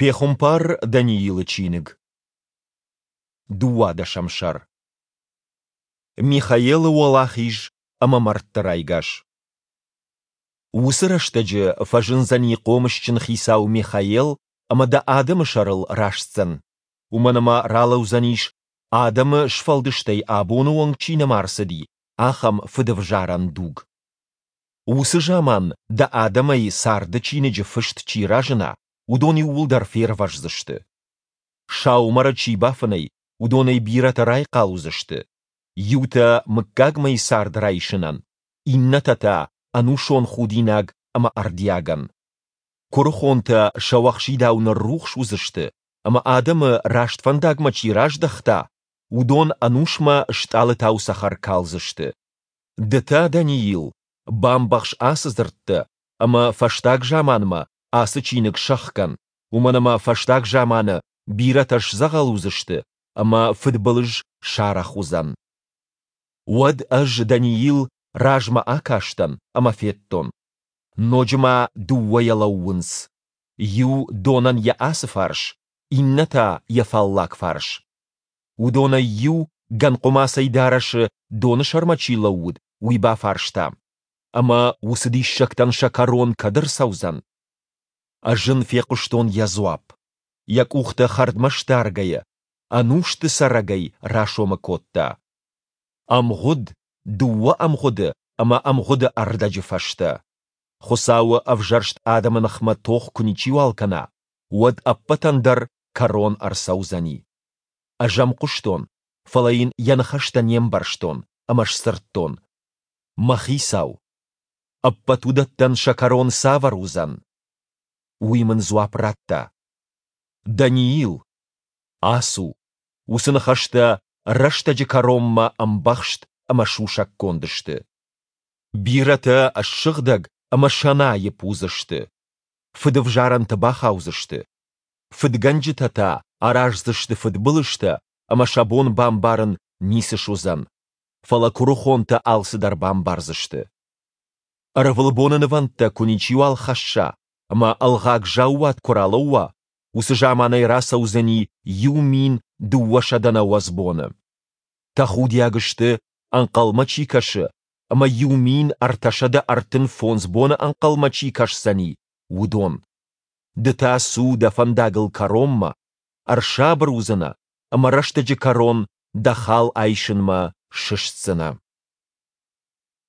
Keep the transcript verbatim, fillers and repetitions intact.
Пехуымпар Даниилы чиныг, дыууадӕсӕм сӕр. Михаелы уӕлахиз ӕмӕ мӕрдты райгас. Уыцы рӕстӕджы фӕзындзӕни хъомысджын хицау Михаел ӕмӕ дӕ адӕмы сӕрыл растдзӕн, уымӕн ӕмӕ ралӕудзӕнис, адӕмы сфӕлдыстӕй абоны онг чи нӕма рцыди, ахӕм фыдӕвзарӕн дуг. Уыцы заман дӕ адӕмӕй царды чиныджы фыст чи разына, уыдон иууылдӕр фервӕздзысты. Саумӕры чи бафынӕй, уыдонӕй бирӕтӕ райхъал уыдзысты, иутӕ мыггагмӕйы цард райсынӕн, иннӕтӕ та ӕнусон худинаг ӕмӕ ӕрдиагӕн. Куырыхонтӕ сӕуӕхсидау ныррухс уыдзысты, ӕмӕ адӕмы раст фӕндагмӕ чи раздӕхта, уыдон ӕнусмӕ стъалытау цӕхӕр калдзысты. Ды та, Даниил, бамбӕхс ацы дзырдтӕ ӕмӕ фӕстаг заманмӕ ацы чиныг сӕхгӕн, уымӕн ӕмӕ фӕстаг заманы бирӕтӕ сдзӕгъӕл уыдзысты ӕмӕ фыдбылыз сарӕх уыдзӕн. Уӕд ӕз, Даниил, размӕ акастӕн ӕмӕ федтон, ноджы ма дыууӕйӕ лӕууынц, иу донӕн йӕ ацы фарс, иннӕ та йӕ фаллаг фарс. Уыдонӕй иу, гӕнхъуымацӕй дарӕсы доны сӕрмӕ чи лӕууыд, уый бафарста: Ӕмӕ уыцы диссӕгтӕн сӕ кӕрон кӕд ӕрцӕудзӕн? Ӕз ын фехъуыстон йӕ дзуапп. Йӕ къухтӕ хӕрдмӕ сдаргӕйӕ, ӕнусты цӕрӕгӕй расомы кодта. Ӕмгъуыд, дыууӕ ӕмгъуыды ӕмӕ ӕмгъуыды ӕрдӕджы фӕстӕ. Хуыцауы ӕвзӕрст адӕмы ныхмӕ тох куы ничиуал кӕна, уӕд ӕппӕтӕн дӕр кӕрон ӕрцӕудзӕни. Ӕз ӕм хъуыстон, фӕлӕ йын йӕ ныхӕстӕ не мбӕрстон ӕмӕ сдзырдтон: Мӕ хицау! Ӕппӕт уыдӕттӕн сӕ кӕрон цавӕр уыдзӕн? Уый мын дзуапп радта: Даниил, ацу, уыцы ныхӕстӕ рӕстӕджы кӕронмӕ ӕмбӕхст ӕмӕ сусӕггонд сты. Бирӕтӕ ссыгъдӕг ӕмӕ сӕнаипп уыдзысты, фыдӕвзарӕнты бахаудзысты. Фыдгӕнджытӕ та араздзысты фыдбылызтӕ ӕмӕ сӕ бон бамбарын ницы суыдзӕн, фӕлӕ куырыхонтӕ алцыдӕр бамбардзысты. Ӕрвылбоны нывӕндтӕ куы ничиуал хӕсса ӕмӕ ӕлгъаг заууат куы ралӕууа, уыцы заманӕй рацӕудзӕни иу мин дыууӕсӕдӕ нӕуӕдз боны. Тӕхудиаг сты, ӕнхъӕлмӕ чи кӕсы ӕмӕ иу мин ӕртӕсӕдӕ ӕртын фондз боны ӕнхъӕлмӕ чи кӕсдзӕни, уыдон. Ды та цу дӕ фӕндагыл кӕронмӕ, ӕрсабыр уыдзынӕ ӕмӕ рӕстӕджы кӕрон дӕ хал айсынмӕ сыстдзынӕ.